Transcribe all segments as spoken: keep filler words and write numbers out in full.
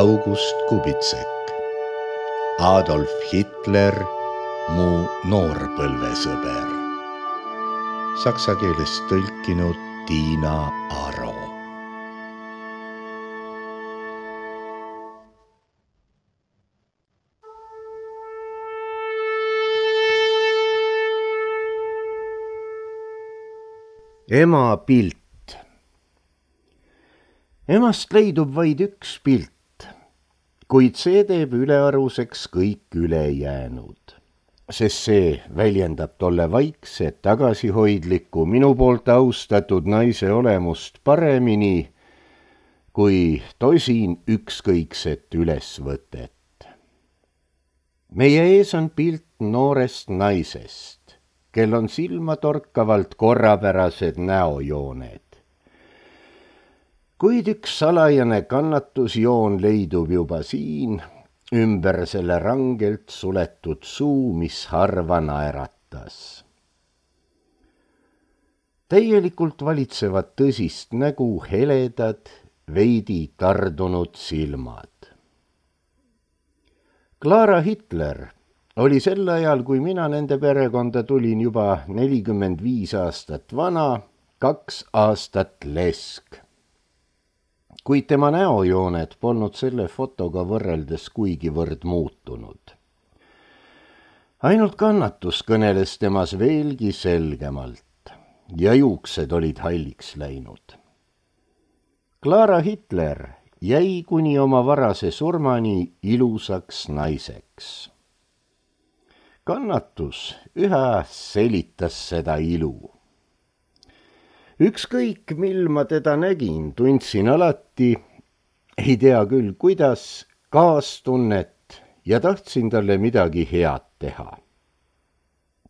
August Kubitsek, Adolf Hitler, mu noorpõlvesõber. Saksa keelest tõlkinud Tiina Aro. Ema pilt. Emast leidub vaid üks pilt, kuid see teeb ülearuseks kõik ülejäänud, sest see väljendab tolle vaikset, tagasihoidlikku, minu poolt austatud naise olemust paremini kui tosin ükskõikset ülesvõtet. Meie ees on pilt noorest naisest, kel on silmatorkavalt korrapärased näojooned. Kuid üks salajane kannatusjoon leidub juba siin, ümber selle rangelt suletud suu, mis harva naeratas. Täielikult valitsevad tõsist nägu heledad, veidi tardunud silmad. Clara Hitler oli sel ajal, kui mina nende perekonda tulin, juba nelikümmend viis aastat vana, kaks aastat lesk. Kuid tema näojooned polnud selle fotoga võrreldes kuigivõrd muutunud. Ainult kannatus kõneles temas veelgi selgemalt ja juuksed olid halliks läinud. Clara Hitler jäi kuni oma varase surmani ilusaks naiseks. Kannatus üha selitas seda ilu. Ükskõik, mil ma teda nägin, tundsin alati, ei tea küll kuidas, kaastunnet ja tahtsin talle midagi head teha.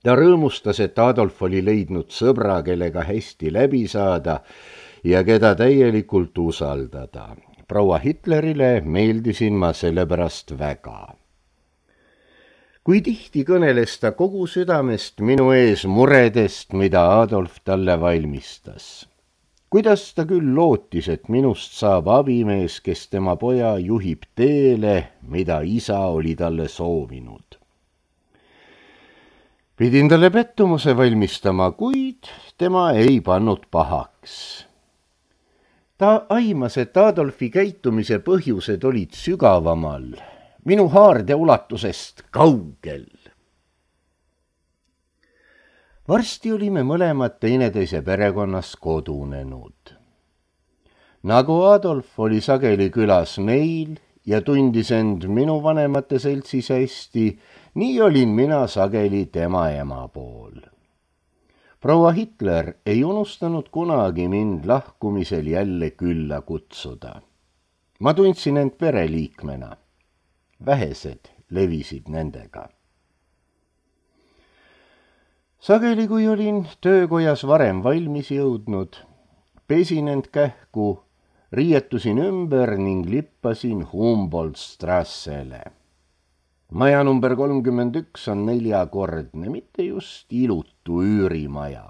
Ta rõõmustas, et Adolf oli leidnud sõbra, kellega hästi läbi saada ja keda täielikult usaldada. Proua Hitlerile meeldisin ma sellepärast väga. Kui tihti kõneles ta kogu südamest minu ees muredest, mida Adolf talle valmistas. Kuidas ta küll lootis, et minust saab abimees, kes tema poja juhib teele, mida isa oli talle soovinud. Pidin talle pettumuse valmistama, kuid tema ei pannud pahaks. Ta aimas, et Adolfi käitumise põhjused olid sügavamal, minu haarde ulatusest kaugel. Varsti olime mõlemad teineteise perekonnas kodunenud. Nagu Adolf oli sageli külas meil ja tundis end minu vanemate seltsis hästi, nii olin mina sageli tema ema pool. Proua Hitler ei unustanud kunagi mind lahkumisel jälle külla kutsuda. Ma tundsin end pereliikmena. Vähesed levisid nendega. Sageli, kui olin töökojas varem valmis jõudnud, pesin end kähku, riietusin ümber ning lippasin Humboldt-Strassele. Maja number kolmkümmend üks on neljakordne, mitte just ilutu üürimaja.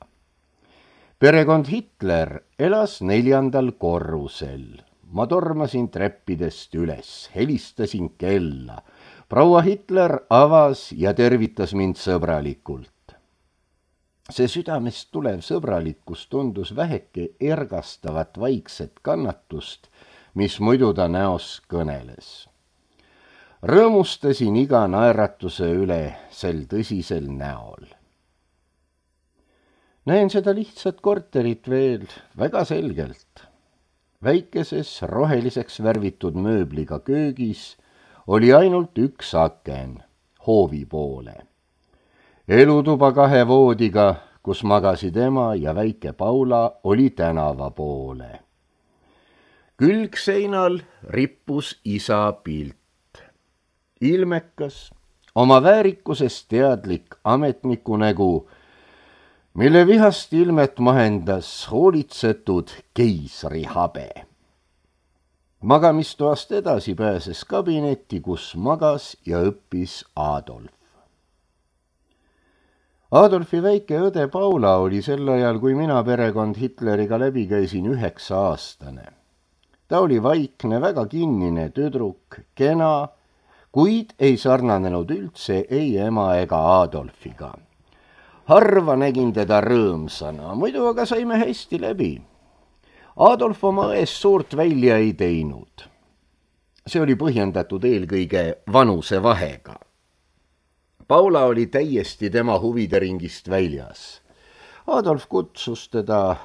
Perekond Hitler elas neljandal korrusel. Ma tormasin treppidest üles, helistasin kella. Proua Hitler avas ja tervitas mind sõbralikult. See südamest tulev sõbralikkus tundus väheke ergastavat vaikset kannatust, mis muidu ta näos kõneles. Rõõmustasin iga naeratuse üle sel tõsisel näol. Näen seda lihtsat korterit veel väga selgelt. Väikeses roheliseks värvitud mööbliga köögis oli ainult üks aken, hoovi poole. Elutuba kahe voodiga, kus magasid ema ja väike Paula, oli tänava poole. Külgseinal rippus isa pilt. Ilmekas, oma väärikusest teadlik ametniku nägu, mille vihast ilmet mahendas hoolitsetud keisri habe. Magamistoast edasi pääses kabinetti, kus magas ja õppis Adolf. Adolfi väike õde Paula oli sel ajal, kui mina perekond Hitleriga läbi käisin, üheksa aastane. Ta oli vaikne, väga kinnine tüdruk, kena, kuid ei sarnanenud üldse ei ema ega Adolfiga. Harva nägin teda rõõmsana, muidu aga saime hästi läbi. Adolf oma eest suurt välja ei teinud. See oli põhjendatud eelkõige vanuse vahega. Paula oli täiesti tema huvide ringist väljas. Adolf kutsus teda.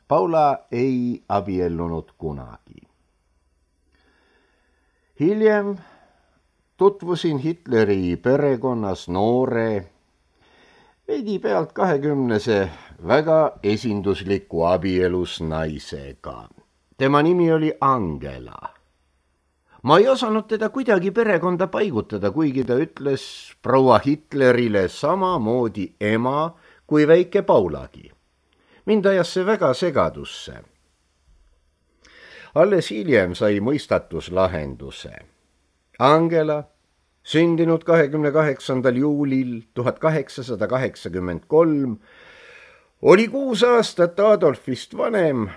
Paula ei abiellunud kunagi. Hiljem tutvusin Hitleri perekonnas noore, veidi pealt kahekümnese väga esindusliku abielus naisega. Tema nimi oli Angela. Ma ei osanud teda kuidagi perekonda paigutada, kuigi ta ütles proua Hitlerile samamoodi ema kui väike Paulagi. Mind ajas see väga segadusse. Alles hiljem sai mõistatus lahenduse. Angela, sündinud kahekümne kaheksandal juulil tuhat kaheksasada kaheksakümmend kolm, oli kuus aastat Adolfist vanem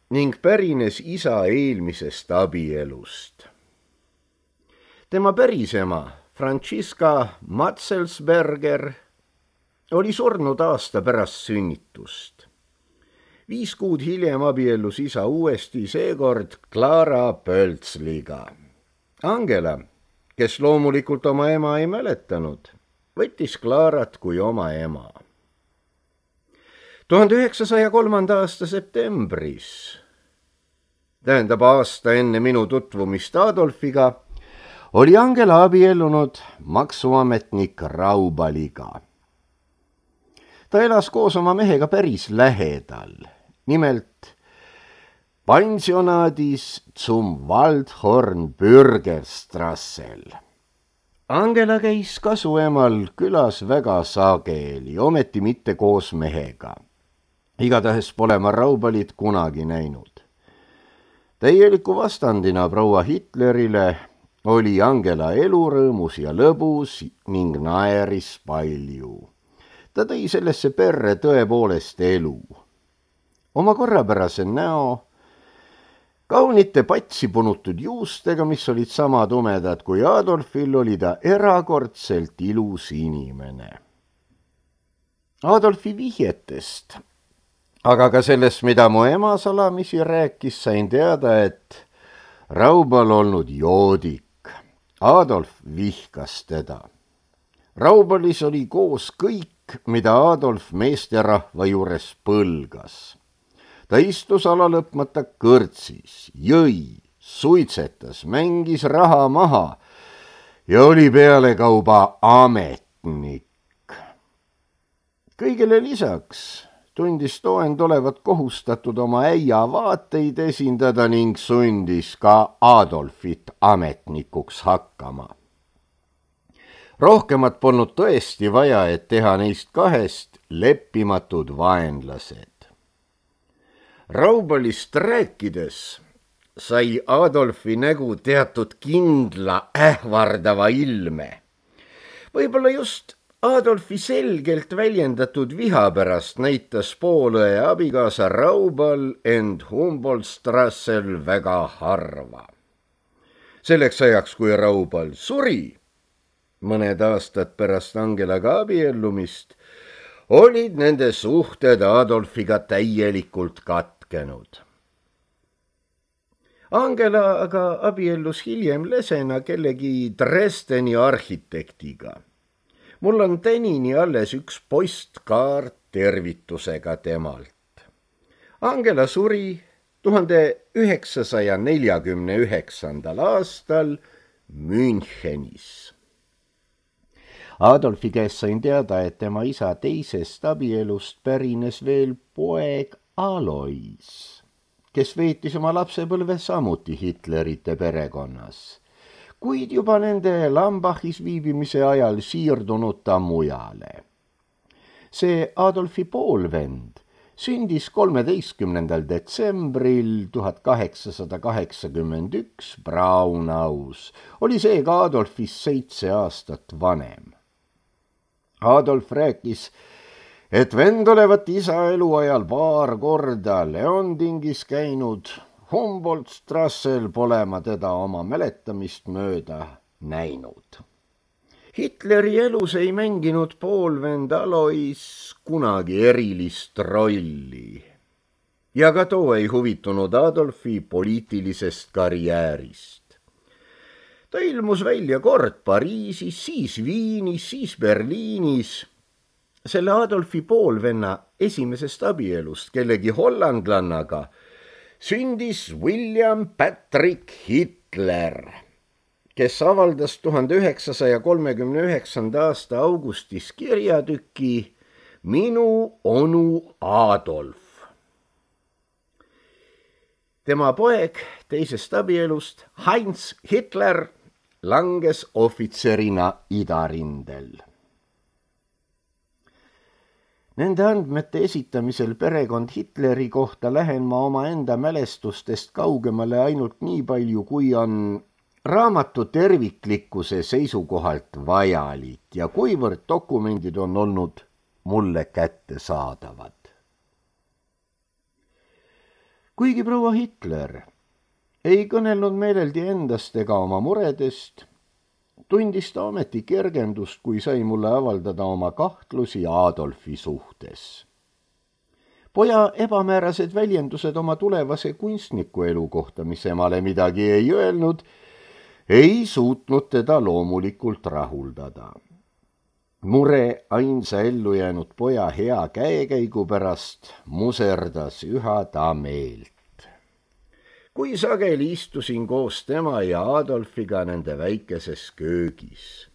ning pärines isa eelmisest abielust. Tema pärisema, Franziska Matzelsberger, oli surnud aasta pärast sünnitust. Viis kuud hiljem abiellus isa uuesti, seekord Clara Pölzliga. Angela, kes loomulikult oma ema ei mäletanud, võttis Clarat kui oma ema. tuhande üheksasaja kolmanda aasta septembris, tähendab aasta enne minu tutvumist Adolfiga, oli Angela abiellunud maksuametnik Raubaliga. Ta elas koos oma mehega päris lähedal, nimelt pensionaadis zum Waldhorn Bürgerstrassel. Angela käis kasuemal külas väga sageli, ometi mitte koos mehega. Igatahes pole ma Raubalit kunagi näinud. Täieliku vastandina proua Hitlerile oli Angela elurõõmus ja lõbus ning naeris palju. Ta tõi sellesse perre tõepoolest elu. Oma korrapärase näo, kaunite patsi punutud juustega, mis olid sama tumedad kui Adolfil, oli ta erakordselt ilus inimene. Adolfi vihjetest, aga ka sellest, mida mu ema salamisi rääkis, sain teada, et Raubal olnud joodik. Adolf vihkas teda. Raubalis oli koos kõik, mida Adolf meesterahva juures põlgas. Ta istus alalõpmata kõrtsis, jõi, suitsetas, mängis raha maha ja oli pealekauba ametnik. Kõigele lisaks tundis toend olevat kohustatud oma äia vaateid esindada ning sundis ka Adolfit ametnikuks hakkama. Rohkemat polnud tõesti vaja, et teha neist kahest leppimatud vaenlased. Raubalist rääkides sai Adolfi nägu teatud kindla ähvardava ilme. Võib-olla just Adolfi selgelt väljendatud viha pärast näitas poolõe abikaasa Raubal end Humboldtstrassel väga harva. Selleks ajaks, kui Raubal suri, mõned aastad pärast Angelaga abiellumist, olid nende suhted Adolfiga täielikult katkenud. Angela aga abiellus hiljem lesena kellegi Dresdeni arhitektiga. Mul on tänini alles üks postkaart tervitusega temalt. Angela suri tuhande üheksasaja neljakümne üheksandal aastal Münchenis. Adolfi käest sain teada, et tema isa teisest abielust pärines veel poeg Alois, kes veetis oma lapsepõlve samuti Hitlerite perekonnas, kuid juba nende Lambachis viibimise ajal siirdunud ta mujale. See Adolfi poolvend sündis kolmeteistkümnendal detsembril tuhat kaheksasada kaheksakümmend üks Braunaus, oli seega Adolfist seitse aastat vanem. Adolf rääkis, et vend olevat isa eluajal paar korda Leondingis käinud, Humboldt-Strassel pole ma teda oma mäletamist mööda näinud. Hitleri elus ei mänginud poolvend Alois kunagi erilist rolli ja ka too ei huvitunud Adolfi poliitilisest karjäärist. Ta ilmus välja kord Pariisis, siis Viinis, siis Berliinis. Selle Adolfi poolvenna esimesest abielust kellegi hollandlannaga sündis William Patrick Hitler, kes avaldas tuhande üheksasaja kolmekümne üheksanda aasta augustis kirjatüki Minu onu Adolf. Tema poeg teisest abielust, Heinz Hitler, langes ohvitserina idarindel. Nende andmete esitamisel perekond Hitleri kohta lähen ma oma enda mälestustest kaugemale ainult nii palju, kui on raamatu terviklikkuse seisukohalt vajalik ja kuivõrd dokumendid on olnud mulle kättesaadavad. Kuigi proua Hitler ei kõnelnud meeleldi endast ega oma muredest, tundis ta ometi kergendust, kui sai mulle avaldada oma kahtlusi Adolfi suhtes. Poja ebamäärased väljendused oma tulevase kunstniku elu kohta, mis emale midagi ei öelnud, ei suutnud teda loomulikult rahuldada. Mure ainsa ellu jäänud poja hea käekäigu pärast muserdas üha ta meelt. Kui sageli istusin koos tema ja Adolfiga nende väikeses köögis.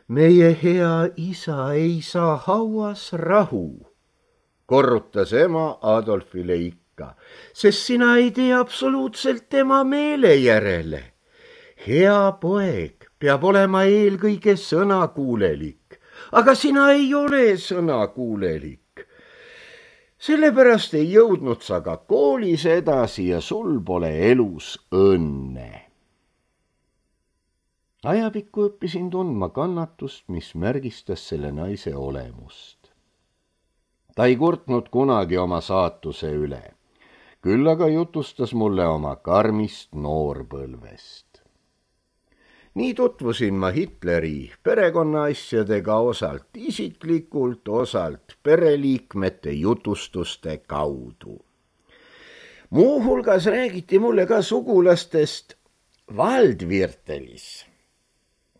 Meie hea isa ei saa hauas rahu, korrutas ema Adolfile ikka, sest sina ei tee absoluutselt tema meele järele. Hea poeg peab olema eelkõige sõnakuulelik, aga sina ei ole sõnakuulelik. Sellepärast ei jõudnud sa ka koolis edasi ja sul pole elus õnne. Ajapikku õppisin tundma kannatust, mis märgistas selle naise olemust. Ta ei kurtnud kunagi oma saatuse üle, küll aga jutustas mulle oma karmist noorpõlvest. Nii tutvusin ma Hitleri perekonnaasjadega osalt isiklikult, osalt pereliikmete jutustuste kaudu. Muuhulgas räägiti mulle ka sugulastest Waldviertelis.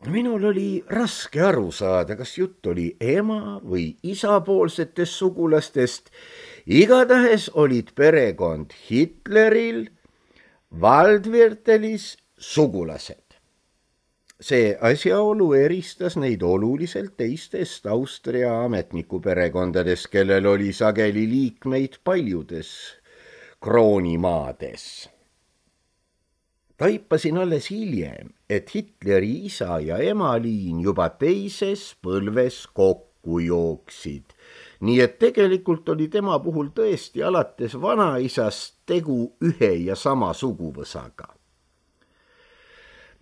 Minul oli raske aru saada, kas jutt oli ema või isapoolsetest sugulastest. Igatahes olid perekond Hitleril Waldviertelis sugulased. See asjaolu eristas neid oluliselt teistest Austria ametnikuperekondades, kellel oli sageli liikmeid paljudes kroonimaades. Taipasin alles hiljem, et Hitleri isa ja ema liin juba teises põlves kokku jooksid, nii et tegelikult oli tema puhul tõesti alates vanaisast tegu ühe ja sama suguvõsaga.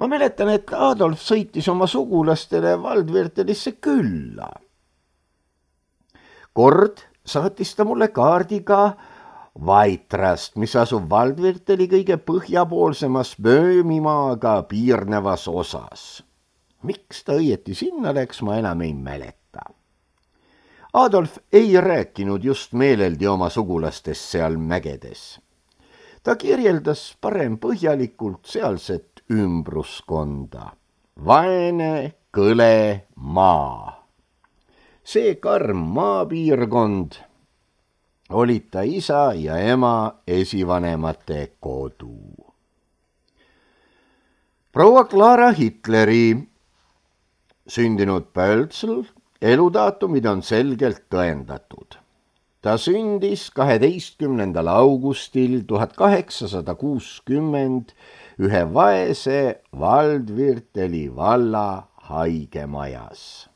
Ma mäletan, et Adolf sõitis oma sugulastele Waldviertelisse külla. Kord saatis ta mulle kaardiga Vaitrast, mis asub Waldvierteli kõige põhjapoolsemas Böömimaaga piirnevas osas. Miks ta õieti sinna läks, ma enam ei mäleta. Adolf ei rääkinud just meeleldi oma sugulastest seal mägedes. Ta kirjeldas parem põhjalikult sealset ümbruskonda. Vaene, kõle maa. See karm maapiirkond olid ta isa ja ema esivanemate kodu. Proua Clara Hitleri sündinud Pöltsl eludaatumid on selgelt tõendatud. Ta sündis kaheteistkümnendal augustil tuhat kaheksasada kuuskümmend ühe vaese Waldvierteli valla haigemajas.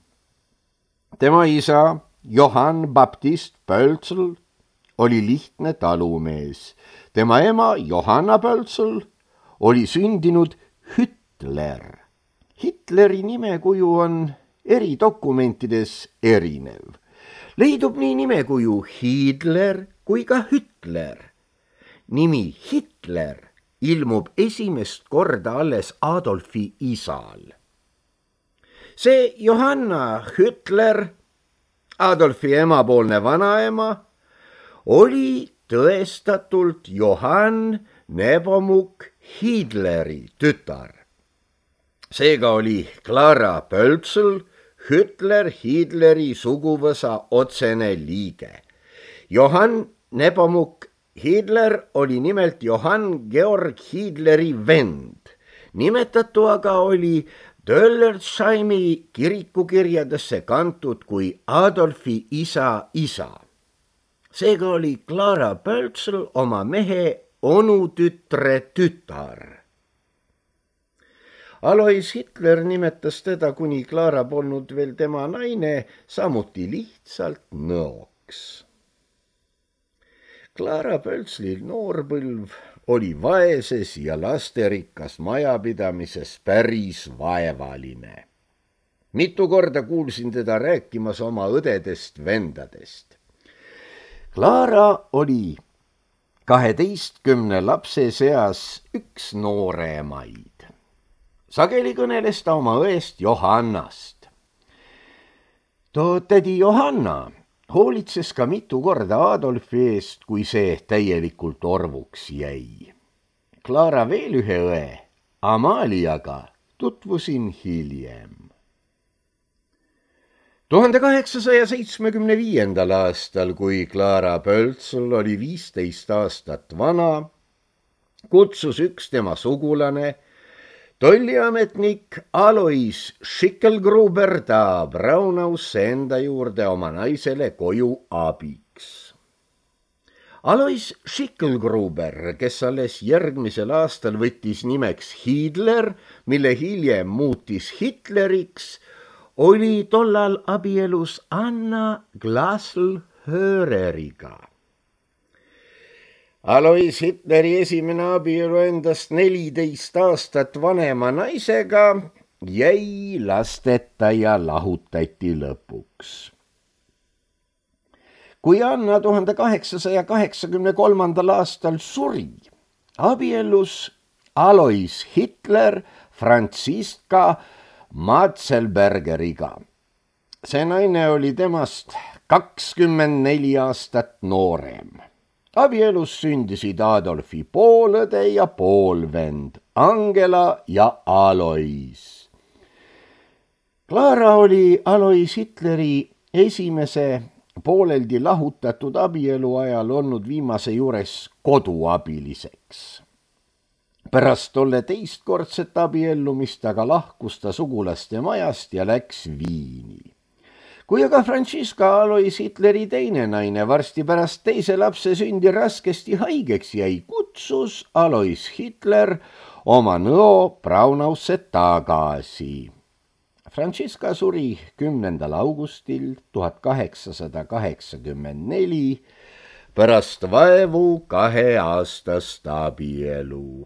Tema isa Johann Baptist Pöltsl oli lihtne talumees. Tema ema Johanna Pöltsl oli sündinud Hitler. Hitleri nimekuju on eri dokumentides erinev. Leidub nii nimekuju Hitler kui ka Hitler. nimi Hitler ilmub esimest korda alles Adolfi isal. See Johanna Hitler, Adolfi emapoolne vanaema, oli tõestatult Johann Nepomuk Hiedleri tütar. Seega oli Clara Pölzl Hitler Hiedleri suguvõsa otsene liige. Johann Nepomuk Hiedler oli nimelt Johann Georg Hiedleri vend. Nimetatu aga oli Döllersheimi kirikukirjadesse kantud kui Adolfi isa isa. Seega oli Clara Pölzl oma mehe onutütre tütar. Alois Hitler nimetas teda, kuni Clara polnud veel tema naine, samuti lihtsalt nõoks. Clara Pölzlil noorpõlv oli vaeses ja lasterikkas majapidamises päris vaevaline. Mitu korda kuulsin teda rääkimas oma õdedest vendadest. Clara oli kaheteistkümne lapse seas üks nooremaid. Sageli kõneles ta oma õest Johannast. Too tädi Johanna hoolitses ka mitu korda Adolfi eest, kui see täielikult orvuks jäi. Clara veel ühe õe, Amaliaga, tutvusin hiljem. tuhande kaheksasaja seitsmekümne viiendal aastal, kui Clara Pölzl oli viisteist aastat vana, kutsus üks tema sugulane, tolliametnik Alois Schickelgruber ta Braunausse enda juurde oma naisele koju abiks. Alois Schickelgruber, kes alles järgmisel aastal võttis nimeks Hiedler, mille hiljem muutis Hitleriks, oli tollal abielus Anna Glasl-Höreriga. Alois Hitleri esimene abielu endast neliteist aastat vanema naisega jäi lasteta ja lahutati lõpuks. Kui Anna tuhande kaheksasaja kaheksakümne kolmandal aastal suri, abiellus Alois Hitler Franziska Matzelbergeriga. See naine oli temast kakskümmend neli aastat noorem. Abielus sündisid Adolfi poolõde ja poolvend, Angela ja Alois. Clara oli Alois Hitleri esimese pooleldi lahutatud abielu ajal olnud viimase juures koduabiliseks. Pärast tolle teistkordset abiellumist aga lahkus ta sugulaste majast ja läks Viini. Kui aga Franziska Alois Hitleri teine naine varsti pärast teise lapse sündi raskesti haigeks jäi, kutsus Alois Hitler oma nõo Braunausse tagasi. Franziska suri kümnendal augustil tuhat kaheksasada kaheksakümmend neli pärast vaevu kaheaastast abielu.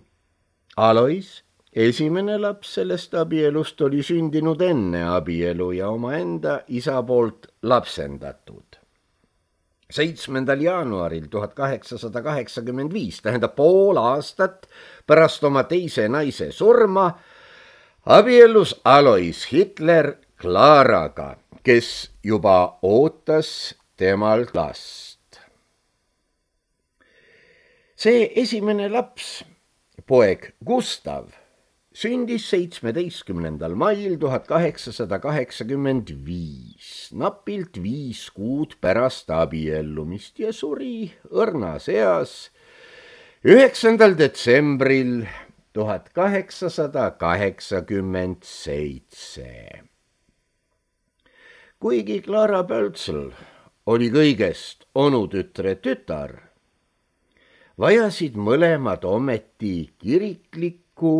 Alois, esimene laps sellest abielust, oli sündinud enne abielu ja omaenda isa poolt lapsendatud. seitsmendal jaanuaril tuhat kaheksasada kaheksakümmend viis, tähendab pool aastat pärast oma teise naise surma, abiellus Alois Hitler Claraga, kes juba ootas temalt last. See esimene laps, poeg Gustav, sündis seitsmeteistkümnendal mail tuhat kaheksasada kaheksakümmend viis, napilt viis kuud pärast abiellumist ja suri õrnas eas üheksandal detsembril tuhat kaheksasada kaheksakümmend seitse. Kuigi Clara Pölzl oli kõigest onutütre tütar, vajasid mõlemad ometi kiriklikku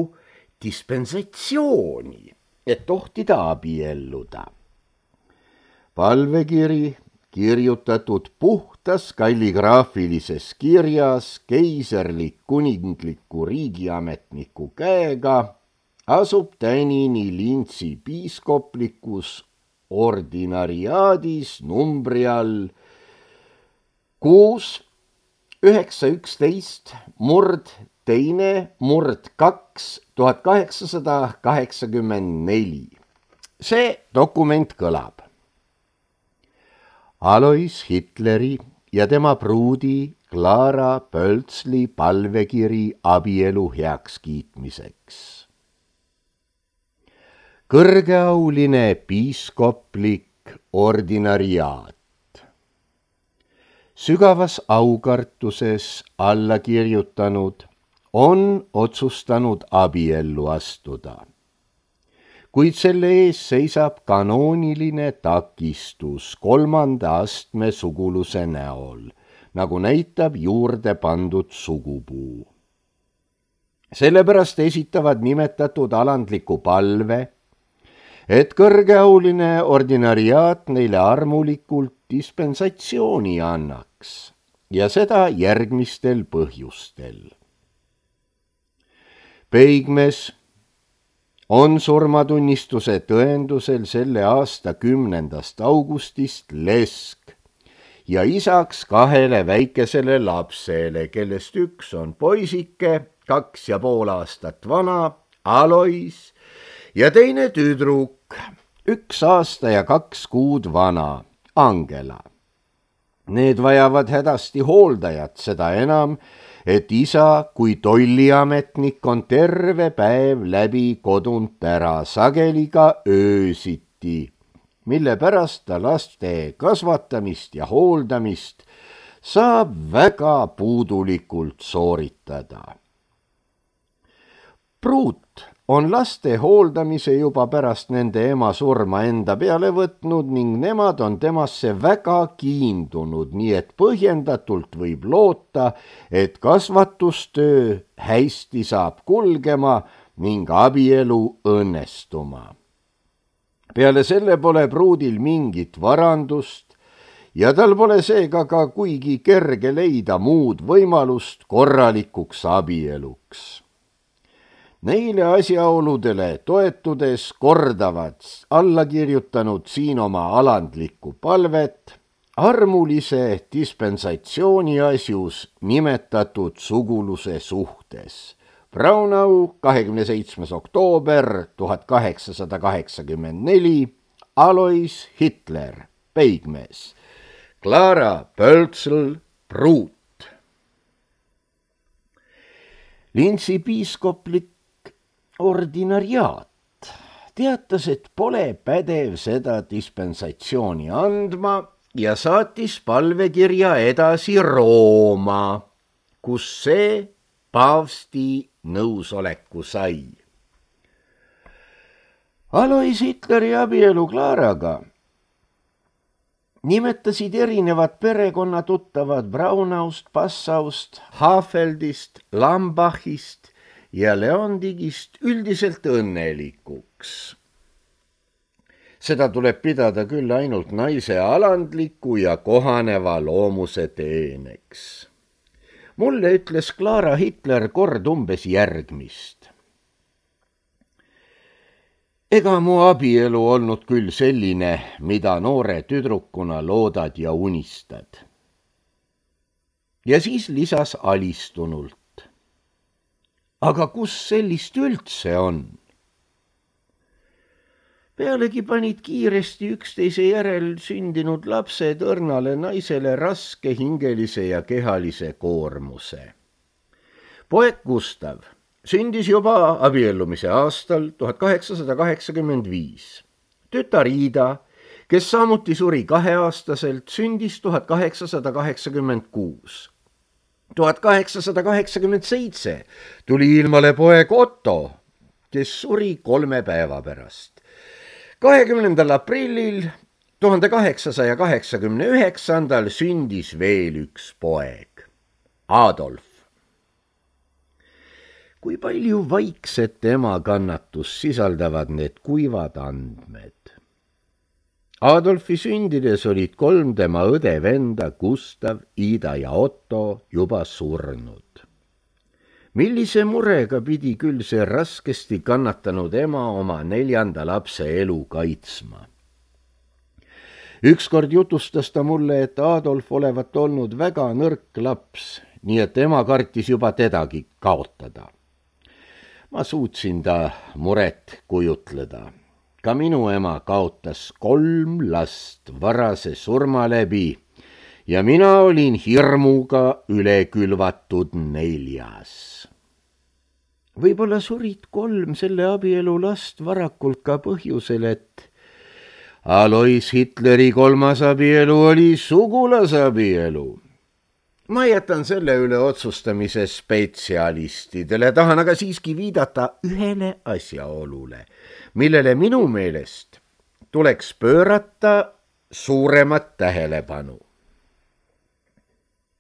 dispensatsiooni, et tohtida abielluda. Palvekiri, kirjutatud puhtas kalligraafilises kirjas keiserlik kuningliku riigiametniku käega, asub tänini Lintsi piiskoplikus ordinariaadis numbri all kuus üheksa üksteist murd teine murd kaks tuhat kaheksasada kaheksakümmend neli. See dokument kõlab. Alois Hitleri ja tema pruudi Clara Pöltsli palvekiri abielu heakskiitmiseks. Kõrgeauline piiskoplik ordinariaat. Sügavas aukartuses alla kirjutanud on otsustanud abiellu astuda. Kuid selle ees seisab kanooniline takistus kolmanda astme suguluse näol, nagu näitab juurde pandud sugupuu. Sellepärast esitavad nimetatud alandliku palve, et kõrgeauline ordinariaat neile armulikult dispensatsiooni annaks ja seda järgmistel põhjustel. Peigmees on surmatunnistuse tõendusel selle aasta kümnendast augustist lesk ja isaks kahele väikesele lapsele, kellest üks on poisike, kaks ja pool aastat vana, Alois, ja teine tüdruk, üks aasta ja kaks kuud vana, Angela. Need vajavad hädasti hooldajat, seda enam, et isa kui tolliametnik on terve päev läbi kodunt ära, sageli ka öösiti, mille pärast ta laste kasvatamist ja hooldamist saab väga puudulikult sooritada. Pruut on laste hooldamise juba pärast nende ema surma enda peale võtnud ning nemad on temasse väga kiindunud, nii et põhjendatult võib loota, et kasvatustöö hästi saab kulgema ning abielu õnnestuma. Peale selle pole pruudil mingit varandust ja tal pole seega ka kuigi kerge leida muud võimalust korralikuks abieluks. Neile asjaoludele toetudes kordavad alla kirjutanud siin oma alandlikku palvet armulise dispensatsiooni asjus nimetatud suguluse suhtes. Braunau, kahekümne seitsmes oktoober tuhat kaheksasada kaheksakümmend neli, Alois Hitler, peigmees, Clara Pöltsl, pruut. Linsi piiskoplik ordinariaat teatas, et pole pädev seda dispensatsiooni andma ja saatis palvekirja edasi Rooma, kus see paavsti nõusoleku sai. Alois Hitleri abielu Claraga nimetasid erinevad perekonnatuttavad Braunaust, Passaust, Hafeldist, Lambachist ja Leondigist üldiselt õnnelikuks. Seda tuleb pidada küll ainult naise alandliku ja kohaneva loomuse teeneks. Mulle ütles Clara Hitler kord umbes järgmist. Ega mu abielu olnud küll selline, mida noore tüdrukuna loodad ja unistad. Ja siis lisas alistunult. Aga kus sellist üldse on? Pealegi panid kiiresti üksteise järel sündinud lapsed õrnale naisele raske hingelise ja kehalise koormuse. Poeg Gustav sündis juba abiellumise aastal tuhat kaheksasada kaheksakümmend viis. Tütar Ida, kes samuti suri kaheaastaselt, sündis tuhat kaheksasada kaheksakümmend kuus. tuhat kaheksasada kaheksakümmend seitse tuli ilmale poeg Otto, kes suri kolme päeva pärast. kahekümnendal aprillil tuhande kaheksasaja kaheksakümne üheksandal sündis veel üks poeg, Adolf. Kui palju vaikset ema kannatust sisaldavad need kuivad andmed. Adolfi sündides olid kolm tema õde-venda Gustav, Ida ja Otto juba surnud. Millise murega pidi küll see raskesti kannatanud ema oma neljanda lapse elu kaitsma. Ükskord jutustas ta mulle, et Adolf olevat olnud väga nõrk laps nii et ema kartis juba tedagi kaotada. Ma suutsin ta muret kujutleda. Ka minu ema kaotas kolm last varase surma läbi ja mina olin hirmuga üle külvatud neljas. Võib-olla surid kolm selle abielu last varakult ka põhjusel, et Alois Hitleri kolmas abielu oli sugulasabielu. Ma jätan selle üle otsustamise spetsialistidele, tahan aga siiski viidata ühele asjaolule, millele minu meelest tuleks pöörata suuremat tähelepanu.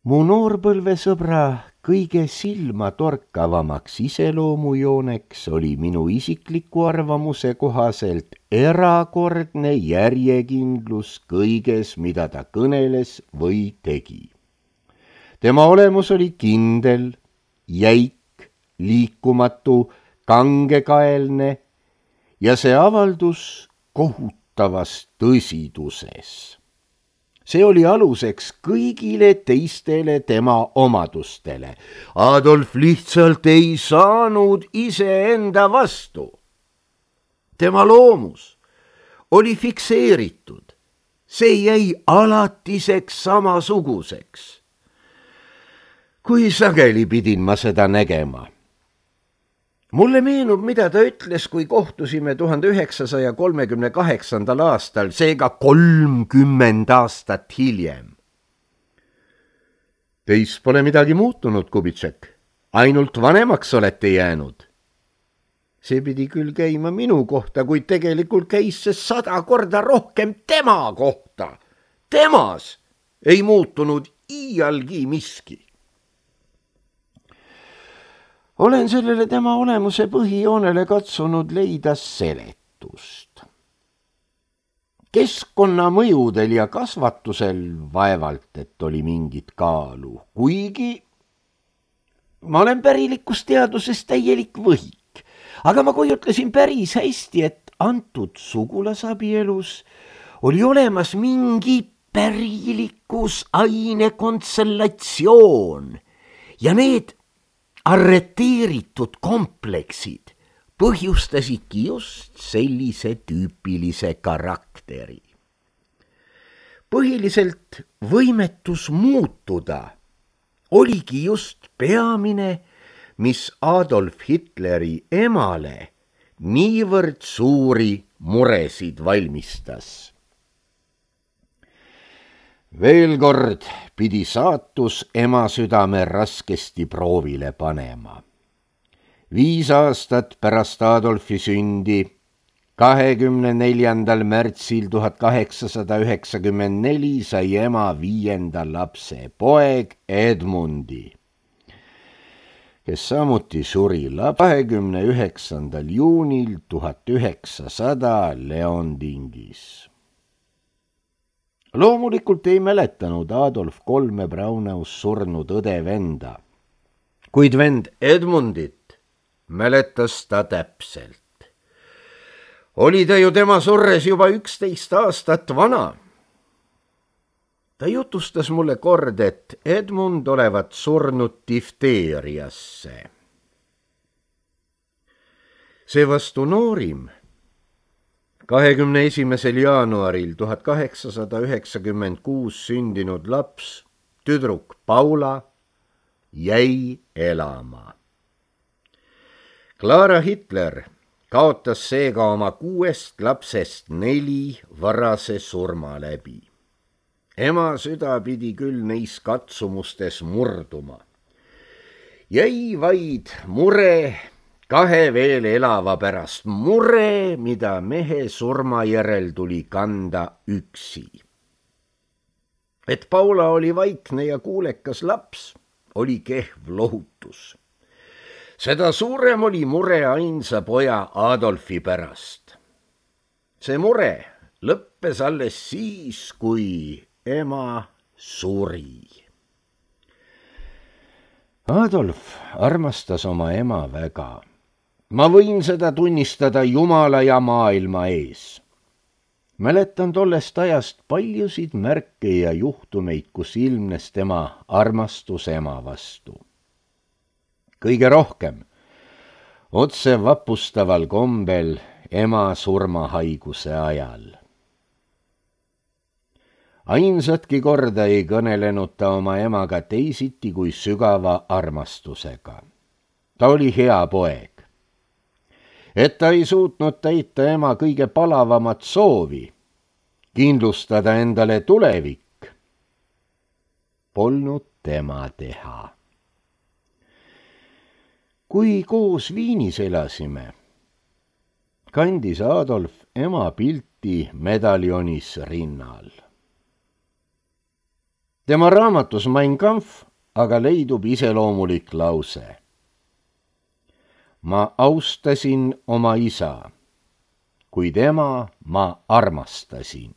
Mu noorpõlvesõbra kõige silmatorkavamaks iseloomujooneks oli minu isikliku arvamuse kohaselt erakordne järjekindlus kõiges, mida ta kõneles või tegi. Tema olemus oli kindel, jäik, liikumatu, kangekaelne ja see avaldus kohutavas tõsiduses. See oli aluseks kõigile teistele tema omadustele. Adolf lihtsalt ei saanud iseenda vastu. Tema loomus oli fikseeritud. See jäi alatiseks samasuguseks. Kui sageli pidin ma seda nägema. Mulle meenub, mida ta ütles, kui kohtusime tuhande üheksasaja kolmekümne kaheksandal aastal, seega kolmkümmend aastat hiljem. Teis pole midagi muutunud, Kubitšek. Ainult vanemaks olete jäänud. See pidi küll käima minu kohta, kuid tegelikult käis see sada korda rohkem tema kohta. Temas ei muutunud iialgi miski. Olen sellele tema olemuse põhijoonele katsunud leida seletust. Keskkonna mõjudel ja kasvatusel vaevalt, et oli mingit kaalu, kuigi ma olen pärilikus täielik võhik, aga ma kujutlesin päris hästi, et antud sugulasabielus oli olemas mingi pärilikus ainekonstellatsioon ja need arreteeritud kompleksid põhjustasidki just sellise tüüpilise karakteri. Põhiliselt võimetus muutuda oligi just peamine, mis Adolf Hitleri emale niivõrd suuri muresid valmistas. Veel kord pidi saatus ema südame raskesti proovile panema. Viis aastat pärast Adolfi sündi, kahekümne neljandal märtsil tuhat kaheksasada üheksakümmend neli sai ema viienda lapse, poeg Edmundi, kes samuti suri kahekümne üheksandal juunil tuhat üheksasada Leondingis. Loomulikult ei mäletanud Adolf kolme Braunaus surnud õde venda, kuid vend Edmundit mäletas ta täpselt. Oli ta ju tema surres juba üksteist aastat vana. Ta jutustas mulle kord, et Edmund olevat surnud difteeriasse. Seevastu noorim, kahekümne esimesel jaanuaril tuhat kaheksasada üheksakümmend kuus sündinud laps, tüdruk Paula, jäi elama. Clara Hitler kaotas seega oma kuuest lapsest neli varase surma läbi. Ema süda pidi küll neis katsumustes murduma. Jäi vaid mure kahe veel elava pärast, mure, mida mehe surma järel tuli kanda üksi. Et Paula oli vaikne ja kuulekas laps, oli kehv lohutus. Seda suurem oli mure ainsa poja Adolfi pärast. See mure lõppes alles siis, kui ema suri. Adolf armastas oma ema väga. Ma võin seda tunnistada Jumala ja maailma ees. Mäletan tollest ajast paljusid märke ja juhtumeid, kus ilmnes tema armastus ema vastu. Kõige rohkem otse vapustaval kombel ema surmahaiguse ajal. Ainsatki korda ei kõnelenud ta oma emaga teisiti kui sügava armastusega. Ta oli hea poeg. Et ta ei suutnud täita ema kõige palavamat soovi, kindlustada endale tulevik, polnud tema teha. Kui koos Viinis elasime, kandis Adolf ema pilti medaljonis rinnal. Tema raamatus Mein Kampf aga leidub iseloomulik lause. Ma austasin oma isa, kuid ema ma armastasin.